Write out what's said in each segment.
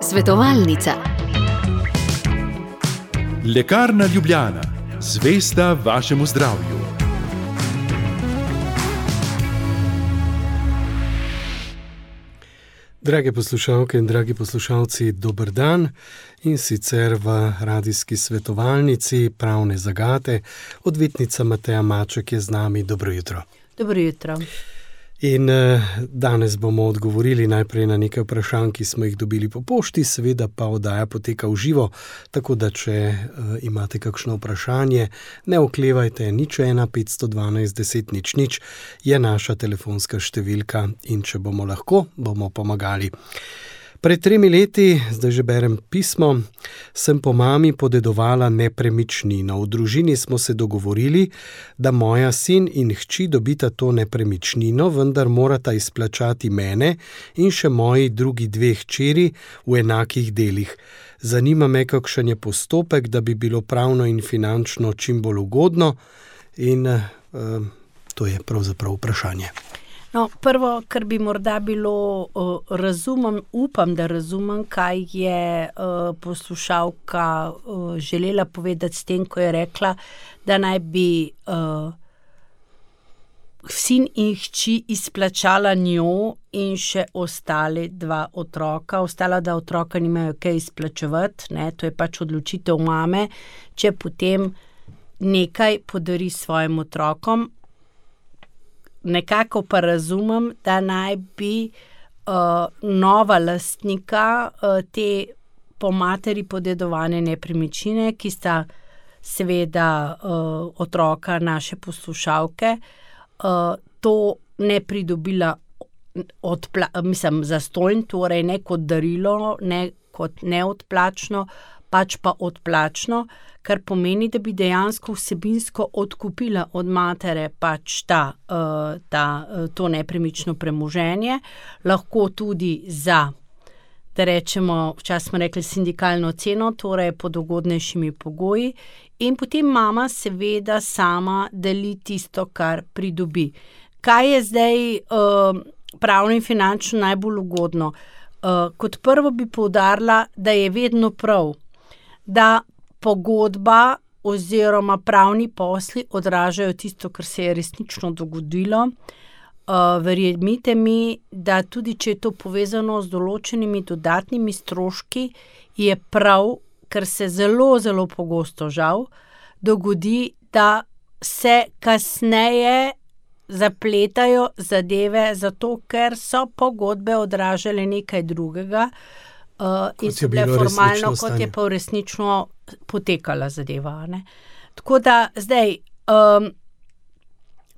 Svetovalnica. Lekarna Ljubljana, zvesta vašemu zdravju. Drage poslušalke in dragi poslušalci, dober dan in sicer v radijski svetovalnici Pravne zagate. Odvetnica Mateja Maček je z nami. Dobro jutro. Dobro jutro. In danes bomo odgovorili najprej na nekaj vprašanj, ki smo jih dobili po pošti, seveda pa oddaja poteka v živo, tako da če imate kakšno vprašanje, ne oklevajte, 01 512 10 00 je naša telefonska številka in če bomo lahko, bomo pomagali. Pred 3 leti, zdaj že berem pismo, sem po mami podedovala nepremičnino. V družini smo se dogovorili, da moja sin in hči dobita to nepremičnino, vendar morata izplačati mene in še moji drugi 2 hčeri v enakih delih. Zanima me, kakšen je postopek, da bi bilo pravno in finančno čim bolj ugodno, in to je pravzaprav vprašanje. No, prvo, kar bi morda bilo, upam, da razumem, kaj je poslušalka želela povedati s tem, ko je rekla, da naj bi sin in hči izplačala njo in še ostale 2 otroka. Ostala 2 otroka nimajo kaj izplačevati, ne? To je pač odločitev mame, če potem nekaj podari svojim otrokom. Nekako pa razumem, da naj bi nova lastnika te po materi podedovane nepremičnine, ki sta seveda otroka naše poslušalke, to ne pridobila zastonj, torej ne kot darilo, ne kot neodplačno, pač pa odplačno, kar pomeni, da bi dejansko vsebinsko odkupila od matere pač to nepremično premoženje, lahko tudi za, da rečemo, včasih smo rekli sindikalno ceno, torej pod ugodnejšimi pogoji, in potem mama seveda sama deli tisto, kar pridobi. Kaj je zdaj pravno in finančno najbolj ugodno? Kot prvo bi poudarila, da je vedno prav, da pogodba oziroma pravni posli odražajo tisto, kar se je resnično dogodilo. Verjemite mi, da tudi če je to povezano z določenimi dodatnimi stroški, je prav, ker se zelo, zelo pogosto žal dogodi, da se kasneje zapletajo zadeve, zato ker so pogodbe odražale nekaj drugega, in so bile formalno, kot je pa resnično potekala zadeva. Ne? Tako da zdaj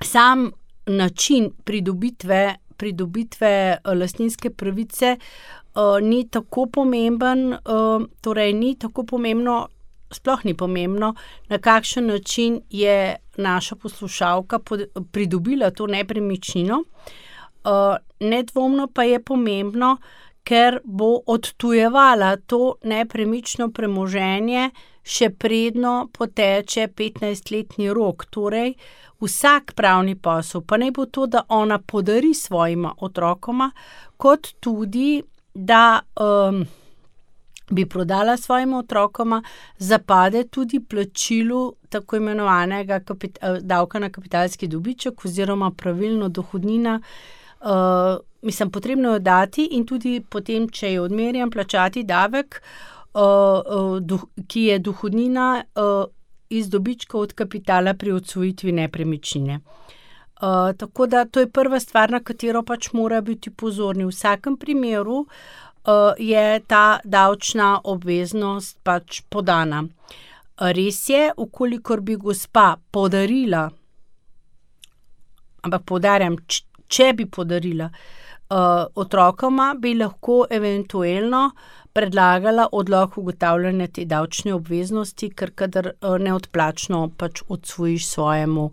sam način pridobitve lastninske pravice ni tako pomemben, torej ni tako pomembno, sploh ni pomembno, na kakšen način je naša poslušalka pridobila to nepremičnino. Nedvomno pa je pomembno, ker bo odtujevala to nepremično premoženje, še predno poteče 15-letni rok. Torej, vsak pravni posel, pa naj bo to, da ona podari svojima otrokoma, kot tudi, da bi prodala svojima otrokoma, zapade tudi plačilu tako imenovanega davka na kapitalski dobiček oziroma pravilno dohodnina. Potrebno jo dati in tudi potem, če je odmerjen, plačati davek, ki je dohodnina iz dobička od kapitala pri odsvojitvi nepremičnine. Tako da to je prva stvar, na katero pač mora biti pozorni. V vsakem primeru je ta davčna obveznost pač podana. Res je, ukolikor bi gospa podarila, ampak poudarjam, če bi podarila otrokoma, bi lahko eventuelno predlagala odlog ugotavljanja te davčne obveznosti, ker kadar neodplačno pač odsvojiš svojemu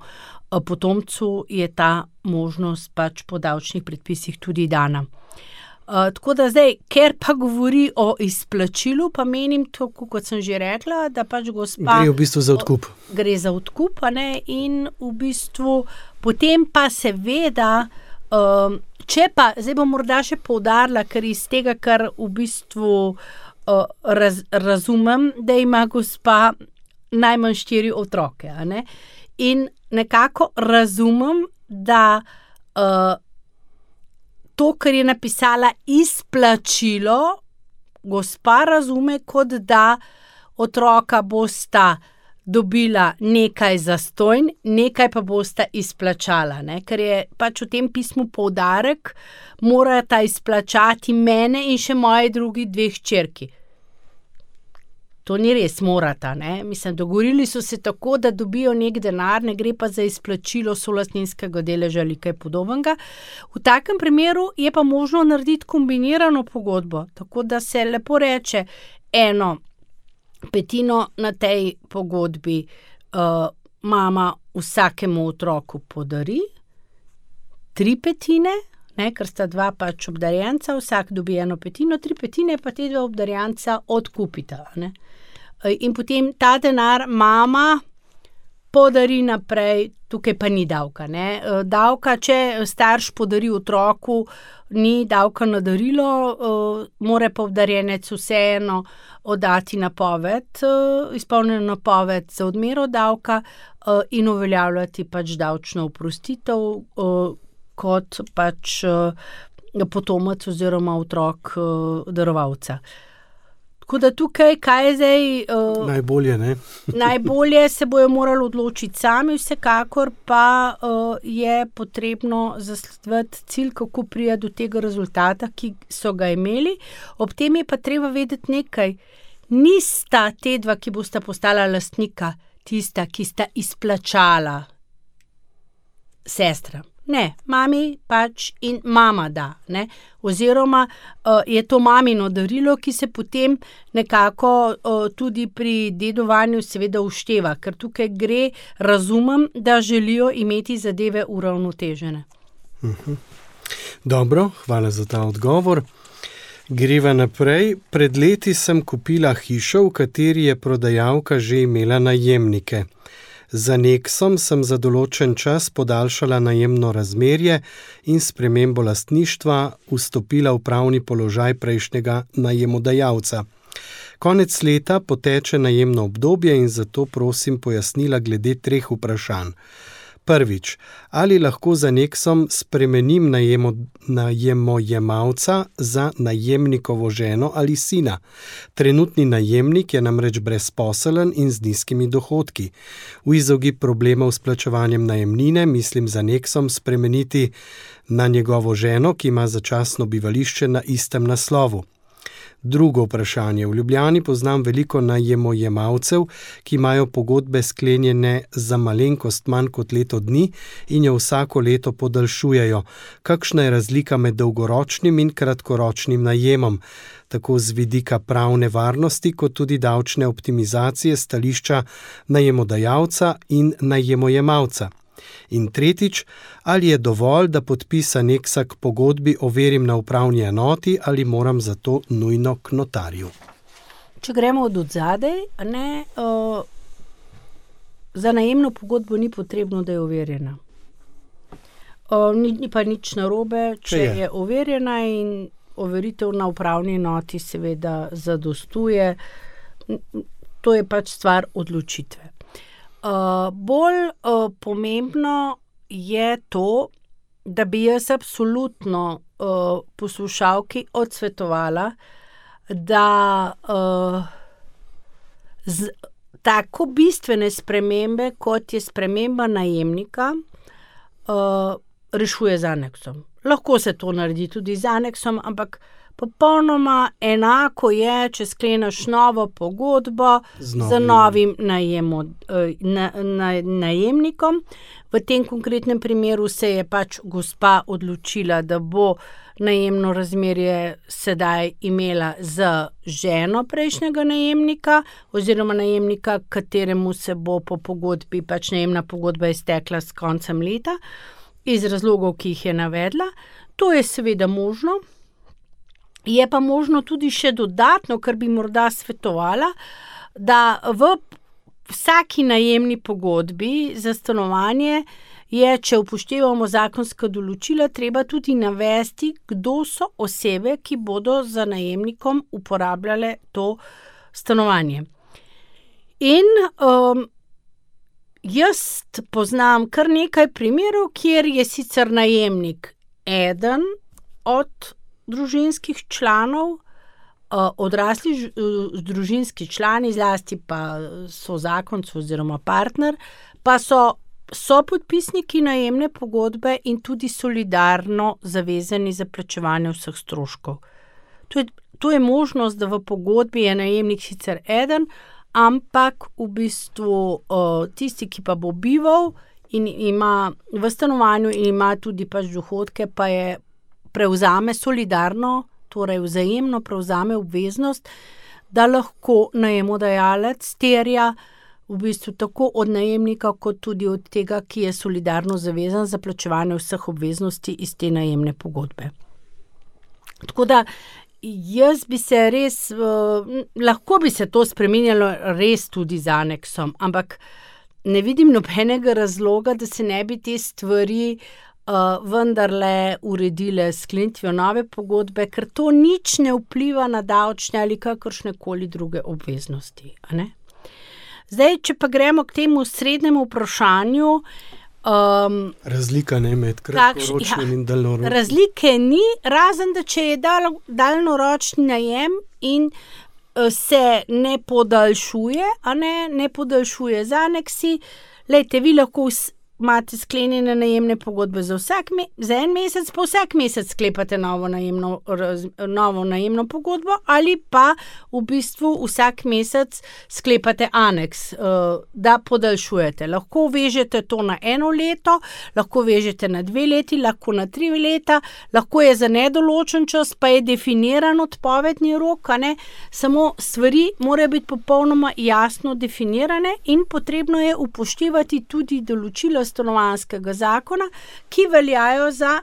potomcu, je ta možnost pač po davčnih predpisih tudi dana. Tako da zdaj, ker pa govori o izplačilu, pa menim, tako kot sem že rekla, da pač gospa... Gre v bistvu za odkup. Gre za odkup, ne, in v bistvu potem pa seveda Če pa, zdaj bom morda še poudarila, ker iz tega, kar v bistvu razumem, da ima gospa najmanj 4 otroke, a ne? In nekako razumem, da to, kar je napisala izplačilo, gospa razume, kot da otroka bosta dobila nekaj zastonj, nekaj pa bosta izplačala, ne? Ker je pač v tem pismu poudarek, morata izplačati mene in še moji drugi 2 hčerki. To ni res, morata, ne? Mislim, dogovorili so se tako, da dobijo nek denar, ne gre pa za izplačilo solastninskega deleža ali kaj podobnega. V takem primeru je pa možno narediti kombinirano pogodbo, tako da se lepo reče 1/5 na tej pogodbi mama vsakemu otroku podari, 3/5, ne, ker sta 2 pač obdarjenca, vsak dobi 1/5, 3/5 pa te 2 obdarjenca odkupita, ne. In potem ta denar mama podari naprej, tukaj pa ni davka, ne. Davka, če starš podari otroku, ni davka na darilo, mora pa obdarjenec vseeno oddati napoved, izpolnjeno napoved za odmero davka in uveljavljati pač davčno oprostitev kot pač potomec oziroma otrok darovalca. Tako da tukaj, kaj je zdaj... Najbolje, ne? Najbolje se bojo morali odločiti sami, vsekakor pa je potrebno zasledovati cilj, kako priti do tega rezultata, ki so ga imeli. Ob tem je pa treba vedeti nekaj. Nista te 2, ki bosta postala lastnika, tista, ki sta izplačala sestra. Ne, mami pač in mama da, ne. Oziroma je to mamino darilo, ki se potem nekako tudi pri dedovanju seveda ušteva, ker tukaj gre, razumem, da želijo imeti zadeve uravnotežene. Dobro, hvala za ta odgovor. Greva naprej. Pred leti sem kupila hišo, v kateri je prodajalka že imela najemnike. Z aneksom sem za določen čas podaljšala najemno razmerje in spremembo lastništva vstopila v pravni položaj prejšnjega najemodajalca. Konec leta poteče najemno obdobje in zato prosim pojasnila glede 3 vprašanj. Prvič, ali lahko z aneksom spremenim najemojemalca za najemnikovo ženo ali sina? Trenutni najemnik je namreč brezposeln in z nizkimi dohodki. V izogib problemov s plačevanjem najemnine mislim z aneksom spremeniti na njegovo ženo, ki ima začasno bivališče na istem naslovu. Drugo vprašanje. V Ljubljani poznam veliko najemojemalcev, ki imajo pogodbe sklenjene za malenkost manj kot leto dni in jo vsako leto podaljšujejo. Kakšna je razlika med dolgoročnim in kratkoročnim najemom, tako z vidika pravne varnosti, kot tudi davčne optimizacije stališča najemodajalca in najemojemalca? In tretjič, ali je dovolj, da podpis aneksa k pogodbi overim na upravni enoti ali moram za to nujno k notarju? Če gremo od odzadaj, ne, za najemno pogodbo ni potrebno, da je overjena. Ni pa nič narobe, če je overjena in overitev na upravni enoti seveda zadostuje. To je pač stvar odločitve. Bolj pomembno je to, da bi jaz absolutno poslušalki odsvetovala, da tako bistvene spremembe, kot je sprememba najemnika, rešuje z aneksom. Lahko se to naredi tudi z aneksom, ampak popolnoma enako je, če skleneš novo pogodbo z novim najemnikom. V tem konkretnem primeru se je pač gospa odločila, da bo najemno razmerje sedaj imela z ženo prejšnjega najemnika oziroma najemnika, kateremu se bo po pogodbi, pač najemna pogodba iztekla s koncem leta, iz razlogov, ki jih je navedla. To je seveda možno. Je pa možno tudi še dodatno, kar bi morda svetovala, da v vsaki najemni pogodbi za stanovanje je, če upoštevamo zakonska določila, treba tudi navesti, kdo so osebe, ki bodo za najemnikom uporabljale to stanovanje. In jaz poznam kar nekaj primerov, kjer je sicer najemnik eden od družinskih članov, odrasli družinski člani, zlasti pa so zakonci oziroma partner, pa so podpisniki najemne pogodbe in tudi solidarno zavezani za plačevanje vseh stroškov. To je možnost, da v pogodbi je najemnik sicer eden, ampak v bistvu tisti, ki pa bo bival in ima v stanovanju in ima tudi pač dohodke, pa je prevzame solidarno, torej vzajemno prevzame obveznost, da lahko najemodajalec terja v bistvu tako od najemnika, kot tudi od tega, ki je solidarno zavezan za plačevanje vseh obveznosti iz te najemne pogodbe. Tako da jaz bi se res, lahko bi se to spreminjalo res tudi z aneksom, ampak ne vidim nobenega razloga, da se ne bi te stvari vendarle uredile s sklenitvijo nove pogodbe, ker to nič ne vpliva na davčne ali kakršnekoli druge obveznosti, a ne? Zdaj, če pa gremo k temu srednjemu vprašanju, razlika ne med kratkoročnim in daljnoročnim. Razlike ni, razen da če je daljnoročni najem in se ne podaljšuje, a ne podaljšuje z aneksi. Glejte, vi lahko imate sklenjene najemne pogodbe za en mesec, pa vsak mesec sklepate novo najemno pogodbo, ali pa v bistvu vsak mesec sklepate aneks, da podaljšujete. Lahko vežete to na 1 leto, lahko vežete na 2 leti, lahko na 3 leta, lahko je za nedoločen čas, pa je definiran odpovedni rok, a ne? Samo stvari morajo biti popolnoma jasno definirane in potrebno je upoštevati tudi določila stanovanjskega zakona, ki veljajo za,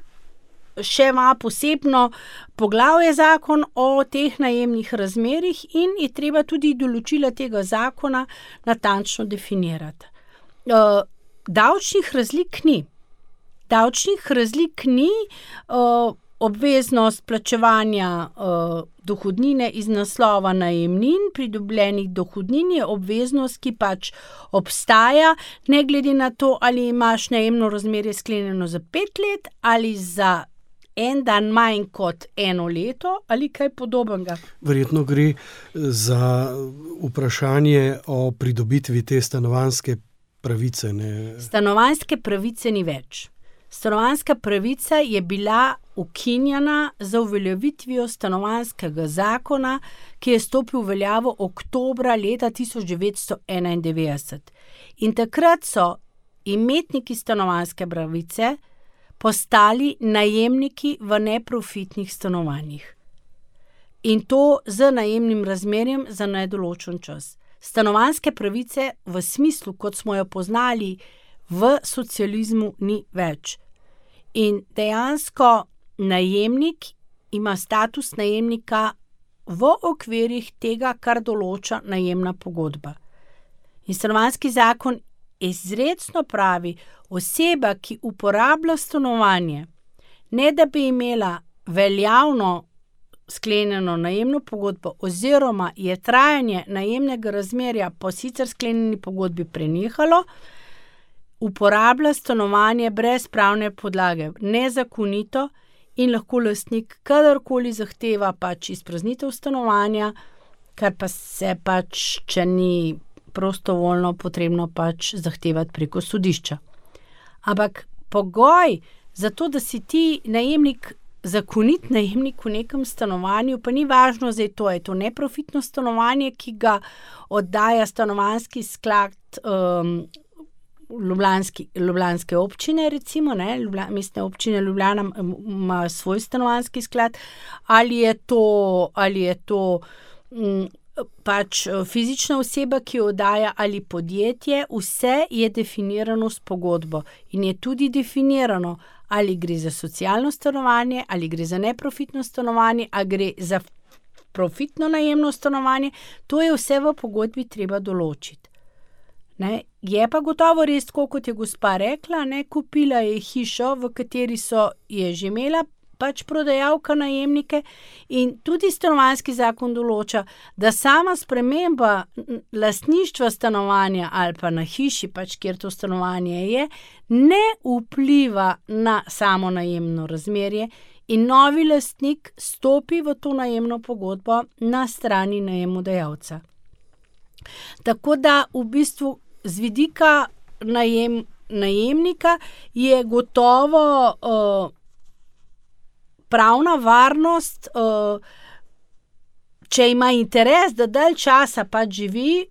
še ima posebno poglavje zakon o teh najemnih razmerjih in je treba tudi določila tega zakona natančno definirati. Davčnih razlik ni. Obveznost plačevanja dohodnine iz naslova najemnin, pridobljenih dohodnin je obveznost, ki pač obstaja, ne glede na to, ali imaš najemno razmerje sklenjeno za 5 let ali za en dan manj kot 1 leto ali kaj podobnega. Verjetno gre za vprašanje o pridobitvi te stanovanjske pravice, ne? Stanovanjske pravice ni več. Stanovanjska pravica je bila ukinjena z uveljavitvijo stanovanjskega zakona, ki je stopil v veljavo oktobra leta 1991. In takrat so imetniki stanovanjske pravice postali najemniki v neprofitnih stanovanjih. In to z najemnim razmerjem za nedoločen čas. Stanovanjske pravice v smislu, kot smo jo poznali v socializmu, ni več. In dejansko najemnik ima status najemnika v okvirih tega, kar določa najemna pogodba. In stanovanjski zakon izrecno pravi, oseba, ki uporablja stanovanje, ne da bi imela veljavno sklenjeno najemno pogodbo oziroma je trajanje najemnega razmerja po sicer sklenjeni pogodbi prenehalo, uporablja stanovanje brez pravne podlage, nezakonito in lahko lastnik kadarkoli zahteva pač izpraznitev stanovanja, kar pa se pač, če ni prostovoljno, potrebno pač zahtevati preko sodišča. Ampak pogoj za to, da si ti najemnik, zakonit najemnik v nekem stanovanju, pa ni važno, zdaj to je to neprofitno stanovanje, ki ga oddaja stanovanjski sklad ljubljanske občine, recimo, ne, mestne občine Ljubljana ima svoj stanovanjski sklad, ali je to pač fizična oseba, ki jo oddaja, ali podjetje, vse je definirano s pogodbo in je tudi definirano, ali gre za socialno stanovanje, ali gre za neprofitno stanovanje, ali gre za profitno najemno stanovanje, to je vse v pogodbi treba določiti. Ne? Je pa gotovo res, kot je gospa rekla, ne? Kupila je hišo, v kateri je že imela pač prodajalka najemnike, in tudi stanovanjski zakon določa, da sama sprememba lastništva stanovanja ali pa na hiši, pač kjer to stanovanje je, ne vpliva na samo najemno razmerje in novi lastnik stopi v to najemno pogodbo na strani najemodajalca. Tako da v bistvu z vidika najemnika je gotovo pravna varnost, če ima interes, da dalj časa pač živi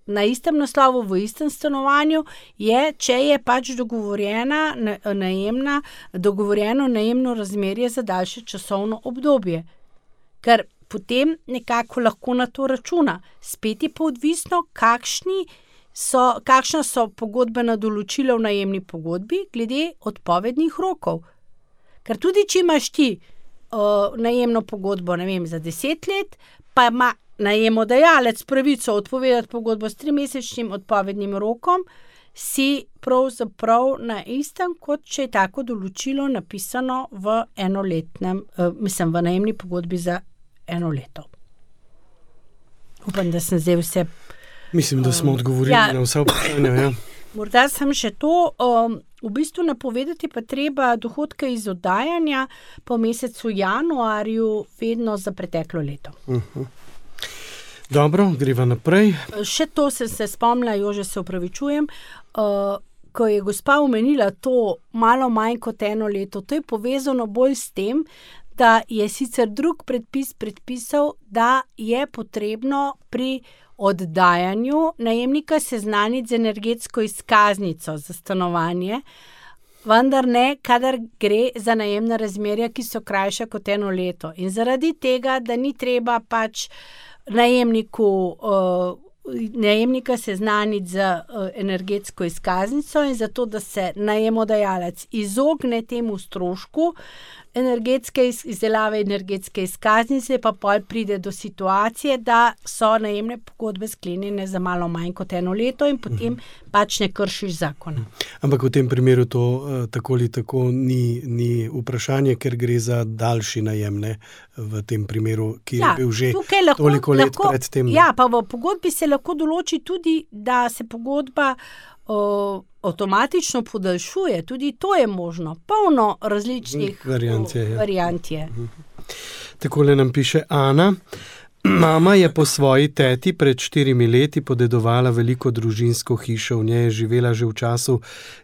na istem naslovu, v istem stanovanju, če je pač dogovorjeno najemno razmerje za daljše časovno obdobje. Ker potem nekako lahko na to računa. Spet je pa odvisno, kakšna so pogodbena določila v najemni pogodbi glede odpovednih rokov. Ker tudi, če imaš ti najemno pogodbo, ne vem, za 10 let, pa ima najemodajalec pravico odpovedati pogodbo s 3-mesečnim odpovednim rokom, si pravzaprav na istem, kot če je tako določilo napisano v v najemni pogodbi za 1 leto. Upam, da sem zdaj vse... Mislim, da smo odgovorili na vsa vprašanja, ja. Morda sem še to... V bistvu napovedati pa treba dohodke iz oddajanja po mesecu januarju vedno za preteklo leto. Dobro, greva naprej. Še to sem se spomnila, Jože, se opravičujem, ko je gospa omenila to malo manj kot 1 leto, to je povezano bolj s tem, da je sicer drug predpis predpisal, da je potrebno pri oddajanju najemnika seznaniti z energetsko izkaznico za stanovanje, vendar ne, kadar gre za najemna razmerja, ki so krajša kot 1 leto. In zaradi tega, da ni treba pač najemnika seznaniti z energetsko izkaznico in zato, da se najemodajalec izogne temu strošku izdelave energetske izkaznice, pa pol pride do situacije, da so najemne pogodbe sklenjene za malo manj kot 1 leto in potem pač ne kršiš zakona. Ampak v tem primeru to tako ali tako ni vprašanje, ker gre za daljši najem, ne, v tem primeru, ki je bil že toliko let pred tem. Ja, pa v pogodbi se lahko določi tudi, da se pogodba avtomatično podaljšuje, tudi to je možno. Polno različnih variant je. Takole nam piše Ana. Mama je po svoji teti pred 4 leti podedovala veliko družinsko hišo. V njej je živela že v času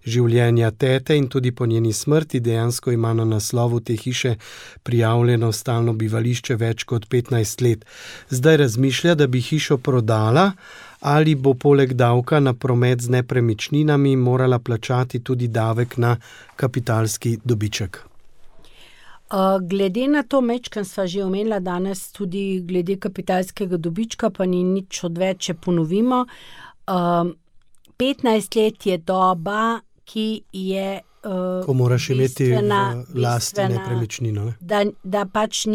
življenja tete in tudi po njeni smrti. Dejansko ima na naslovu te hiše prijavljeno stalno bivališče več kot 15 let. Zdaj razmišlja, da bi hišo prodala, ali bo poleg davka na promet z nepremičninami morala plačati tudi davek na kapitalski dobiček. Glede na to, mečkam sva že omenila danes tudi glede kapitalskega dobička, pa ni nič odveč, če ponovimo. 15 let je doba, ki je ko moraš imeti v lasti nepremičnino. Ne? Da pač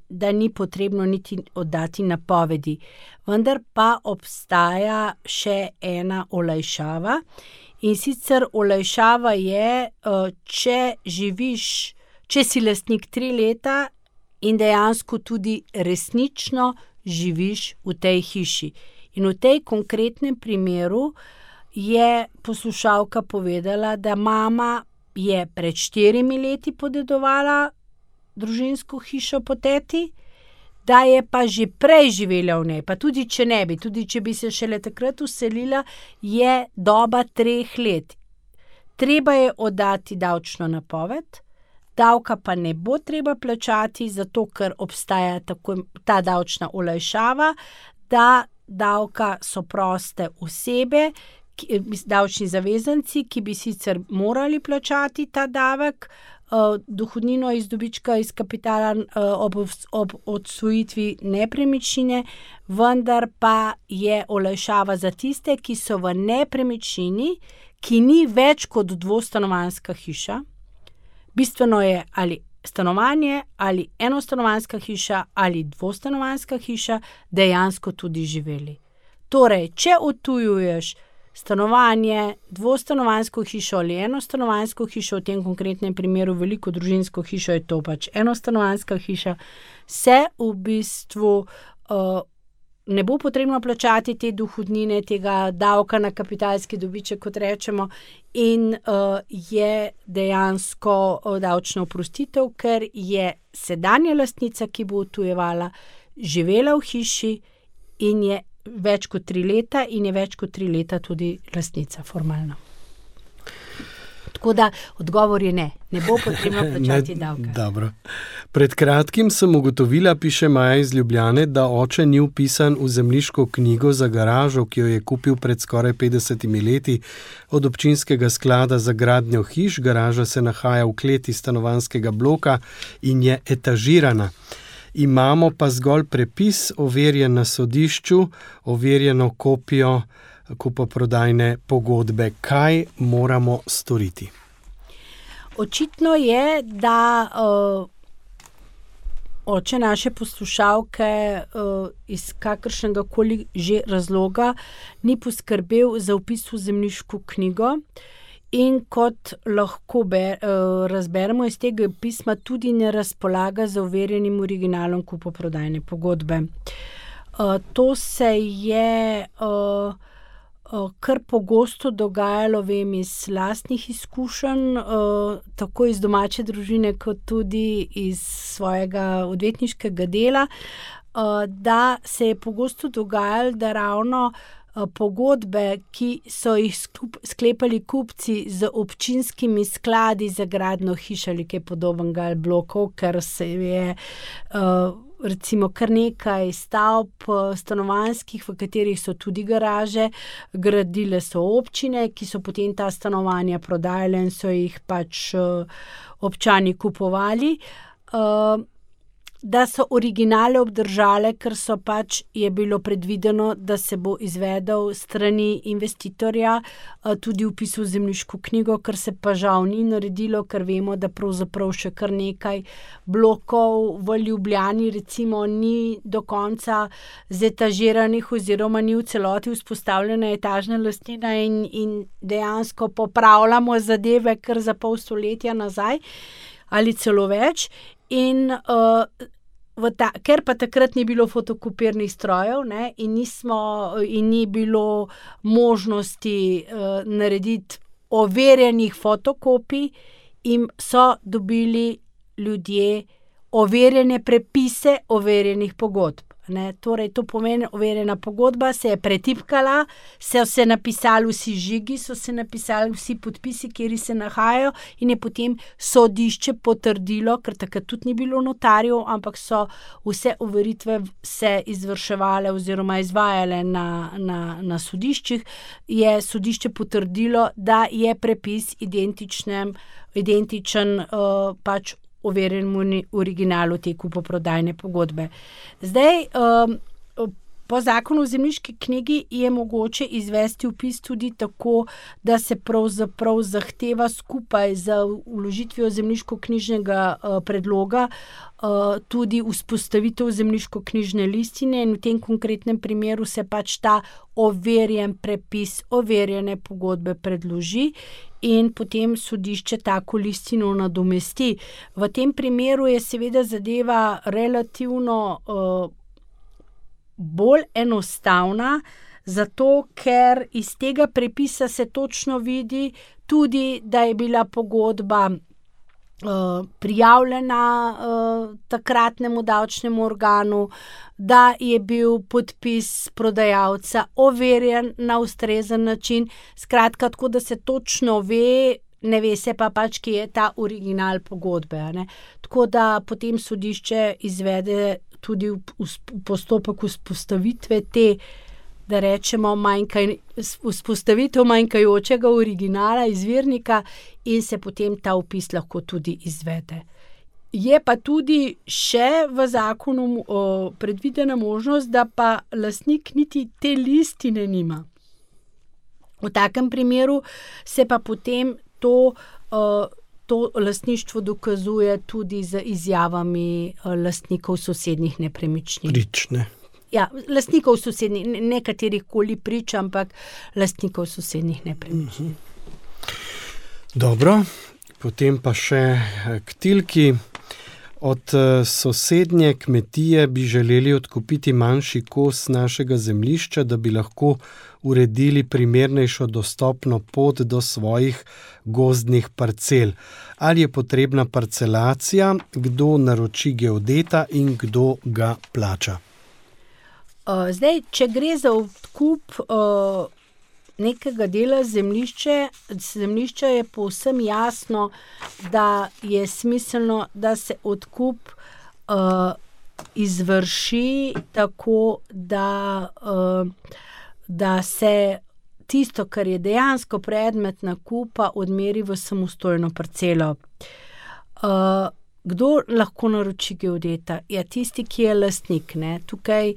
da ni potrebno niti oddati napovedi. Vendar pa obstaja še ena olajšava, in sicer olajšava je, če si lastnik 3 leta in dejansko tudi resnično živiš v tej hiši. In v tej konkretnem primeru je poslušalka povedala, da mama je pred 4 leti podedovala družinsko hišo po teti, da je pa že prej živela v njej, pa tudi če ne bi, tudi če bi se šele takrat vselila, je doba 3 let. Treba je oddati davčno napoved, davka pa ne bo treba plačati, zato ker obstaja ta davčna olajšava, da davka so proste osebe, davčni zavezanci, ki bi sicer morali plačati ta davek, dohodnino iz dobička iz kapitala ob odsvojitvi nepremičnine, vendar pa je olajšava za tiste, ki so v nepremičnini, ki ni več kot 2-stanovanjska hiša. Bistveno je ali stanovanje, ali enostanovanjska hiša, ali 2-stanovanjska hiša, dejansko tudi živeli. Torej, če odtujuješ stanovanje, dvostanovanjsko hišo ali enostanovanjsko hišo, v tem konkretnem primeru veliko družinsko hišo, je to pač enostanovanjska hiša, se v bistvu ne bo potrebno plačati te dohodnine, tega davka na kapitalski dobiček, kot rečemo, in je dejansko davčna oprostitev, ker je sedanja lastnica, ki bo odtujevala, živela v hiši in je več kot 3 leta in je več kot 3 leta tudi lastnica formalno. Tako da odgovor je ne bo potrebno plačati davka. Dobro. Pred kratkim sem ugotovila, piše Maja iz Ljubljane, da oče ni vpisan v zemljiško knjigo za garažo, ki jo je kupil pred skoraj 50 leti od občinskega sklada za gradnjo hiš. Garaža se nahaja v kleti stanovanjskega bloka in je etažirana. Imamo pa zgolj prepis, overjen na sodišču, overjeno kopijo kupoprodajne pogodbe. Kaj moramo storiti? Očitno je, da oče naše poslušalke iz kakršnega koli že razloga ni poskrbel za vpis v zemljiško knjigo. In kot lahko razberemo iz tega pisma, tudi ne razpolaga z overjenim originalom kupoprodajne pogodbe. To se je kar pogosto dogajalo, vem, iz lastnih izkušenj, tako iz domače družine, kot tudi iz svojega odvetniškega dela, da se je pogosto dogajalo, da ravno pogodbe, ki so jih sklepali kupci z občinskimi skladi za gradnjo hiš ali kaj podobnega ali blokov, ker se je recimo kar nekaj stavb stanovanjskih, v katerih so tudi garaže, gradile so občine, ki so potem ta stanovanja prodajale in so jih pač občani kupovali. Da so originale obdržale, ker so pač je bilo predvideno, da se bo izvedel strani investitorja tudi vpis v zemljiško knjigo, ker se pa žal ni naredilo, ker vemo, da pravzaprav še kar nekaj blokov v Ljubljani recimo ni do konca zetažiranih oziroma ni v celoti vzpostavljena etažna lastnina in dejansko popravljamo zadeve kar za pol stoletja nazaj ali celo več. In ker pa takrat ni bilo fotokopirnih strojev, ne, in ni bilo možnosti narediti overjenih fotokopij, in so dobili ljudje overjene prepise overjenih pogodb. Ne. Torej, to pomeni, overjena pogodba se je pretipkala, so se napisali vsi žigi, so se napisali vsi podpisi, kjer se nahajajo, in je potem sodišče potrdilo, ker takrat tudi ni bilo notarjev, ampak so vse overitve se izvrševale oziroma izvajale na sodiščih, je sodišče potrdilo, da je prepis identičen pač overjenemu originalu te kupoprodajne pogodbe. Zdaj, po zakonu o zemljiški knjigi je mogoče izvesti vpis tudi tako, da se pravzaprav zahteva skupaj z vložitvijo zemljiškoknjižnega predloga tudi vzpostavitev zemljiškoknjižne listine, in v tem konkretnem primeru se pač ta overjen prepis overjene pogodbe predloži in potem sodišče tako listino nadomesti. V tem primeru je seveda zadeva relativno bolj enostavna, zato ker iz tega prepisa se točno vidi tudi, da je bila pogodba prijavljena takratnemu davčnemu organu, da je bil podpis prodajalca overjen na ustrezen način, skratka, tako da se točno ve, ne ve se pa pač, kje je ta original pogodbe. Ne? Tako da potem sodišče izvede tudi postopek vzpostavitve te, da rečemo, vzpostavitev manjkajočega originala, izvirnika, in se potem ta vpis lahko tudi izvede. Je pa tudi še v zakonu predvidena možnost, da pa lastnik niti te listine nima. V takem primeru se pa potem to lastništvo dokazuje tudi z izjavami lastnikov sosednjih nepremičnin. Prične. lastnikov sosednjih, nekaterih koli prič, ampak lastnikov sosednjih nepremičnin. Dobro, potem pa še k Tilki. Od sosednje kmetije bi želeli odkupiti manjši kos našega zemljišča, da bi lahko uredili primernejšo dostopno pot do svojih gozdnih parcel. Ali je potrebna parcelacija, kdo naroči geodeta in kdo ga plača? Zdaj, če gre za odkup nekega dela zemljišča je povsem jasno, da je smiselno, da se odkup izvrši tako, da se tisto, kar je dejansko predmet nakupa, odmeri v samostojno parcelo. Kdo lahko naroči geodeta? Ja, tisti, ki je lastnik, ne. Tukaj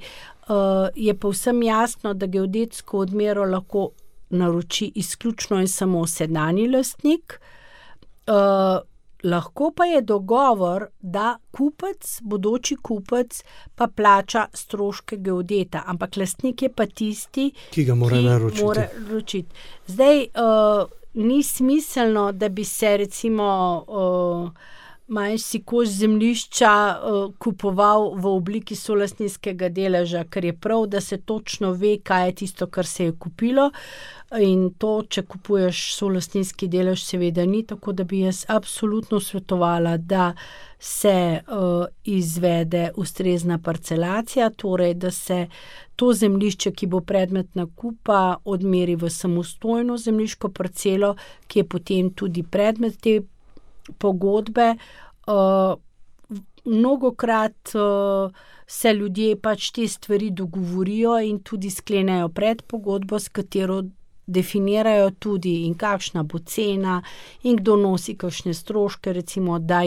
je povsem jasno, da geodetsko odmero lahko naroči izključno in samo sedanji lastnik. Lahko pa je dogovor, da kupec, bodoči kupec, pa plača stroške geodeta, ampak lastnik je pa tisti, ki ga mora naročiti. Zdaj, ni smiselno, da bi se recimo manjši kos zemljišča kupoval v obliki solastninskega deleža, ker je prav, da se točno ve, kaj je tisto, kar se je kupilo, in to, če kupuješ solastninski delež, seveda ni, tako da bi jaz absolutno svetovala, da se izvede ustrezna parcelacija, torej, da se to zemljišče, ki bo predmet nakupa, odmeri v samostojno zemljiško parcelo, ki je potem tudi predmet te pogodbe. Mnogokrat se ljudje pač te stvari dogovorijo in tudi sklenejo predpogodbo, s katero definirajo tudi, in kakšna bo cena in kdo nosi kakšne stroške, recimo, da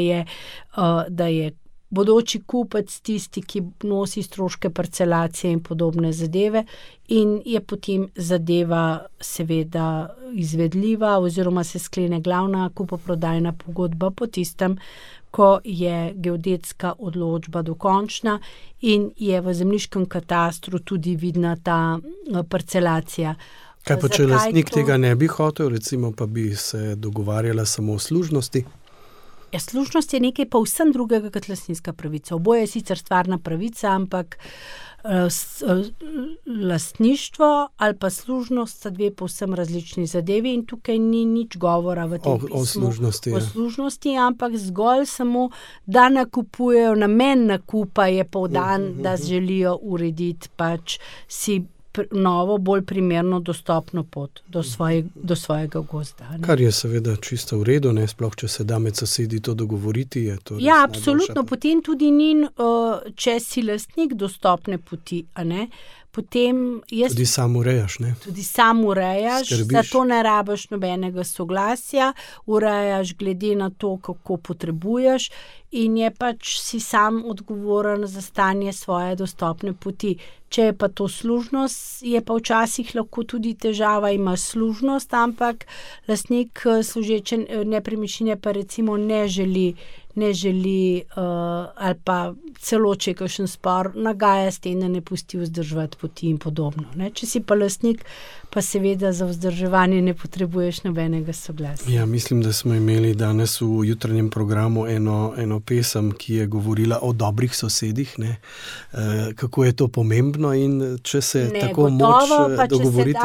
je bodoči kupec tisti, ki nosi stroške parcelacije in podobne zadeve, in je potem zadeva seveda izvedljiva oziroma se sklene glavna kupoprodajna pogodba po tistem, ko je geodetska odločba dokončna in je v zemljiškem katastru tudi vidna ta parcelacija. Kaj pa, če lastnik tega ne bi hotel, recimo, pa bi se dogovarjala samo o služnosti? Ja, služnost je nekaj povsem drugega kot lastninska pravica. Oboje je sicer stvarna pravica, ampak lastništvo ali pa služnost sta dve povsem različni zadevi in tukaj ni nič govora v tem pismu o služnosti, ampak zgolj samo, da nakupujejo, namen nakupa je poudan, da želijo urediti pač si novo, bolj primerno dostopno pot do svojega gozda. Ne? Kar je seveda čisto v redu, ne, sploh če se da med sosedi to dogovoriti. Je to ja, absolutno, potem tudi ni, če si lastnik dostopne poti, a ne, potem tudi sam urejaš, ne? Tudi sam urejaš, zato ne rabiš nobenega soglasja, urejaš glede na to, kako potrebuješ in je pač si sam odgovoren za stanje svoje dostopne poti. Če je pa to služnost, je pa včasih lahko tudi težava, ima služnost, ampak lastnik služeče nepremičnine pa recimo ne želi ali pa celo, če je kakšen spor, nagaja s tem, da ne pusti vzdrževati poti in podobno. Ne? Če si pa lastnik, pa seveda za vzdrževanje ne potrebuješ nobenega soglasja. Ja, mislim, da smo imeli danes v jutranjem programu eno pesem, ki je govorila o dobrih sosedih, ne? Kako je to pomembno in če se tako gotovo, moč dogovoriti.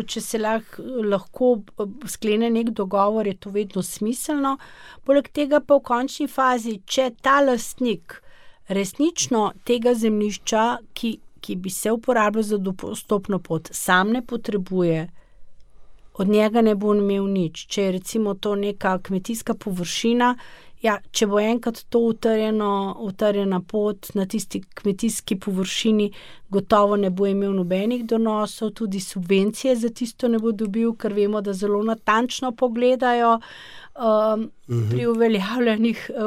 Če se lahko sklene nek dogovor, je to vedno smiselno. Poleg tega pa v končni fazi, če ta lastnik resnično tega zemljišča, ki bi se uporabljal za dostopno pot, sam ne potrebuje, od njega ne bo imel nič. Če je recimo to neka kmetijska površina, ja, če bo enkrat to utrjena pot na tisti kmetijski površini, gotovo ne bo imel nobenih donosov, tudi subvencije za tisto ne bo dobil, ker vemo, da zelo natančno pogledajo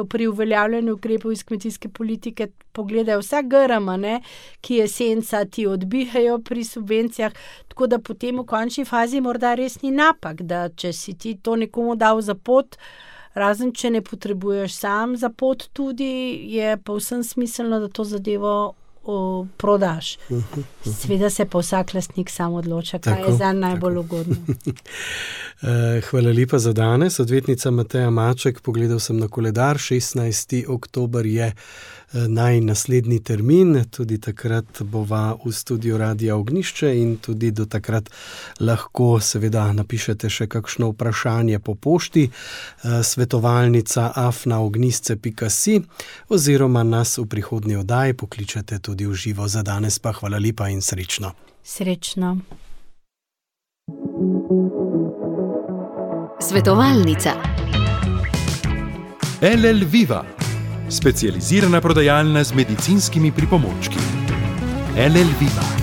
pri uveljavljanju ukrepov iz kmetijske politike, pogledajo vsa grm, ki je senca, ti odbijajo pri subvencijah, tako da potem v končni fazi morda res ni napak, da če si ti to nekomu dal za pot, razen če ne potrebuješ sam za pot tudi, je povsem smiselno, da to zadevo prodaš. Seveda se pa vsak lastnik sam odloča, kaj je zanj najbolj ugodno. Hvala lepa za danes. Odvetnica Mateja Maček, pogledal sem na koledar, 16. oktober je naslednji termin, tudi takrat bova v studiu Radia Ognjišče in tudi do takrat lahko seveda napišete še kakšno vprašanje po pošti svetovalnica@ognjisce.si oziroma nas v prihodnji oddaji pokličete tudi v živo. Za danes pa hvala lepa in srečno. Srečno. Svetovalnica. LL Viva, specializirana prodajalna z medicinskimi pripomočki. LL Viva.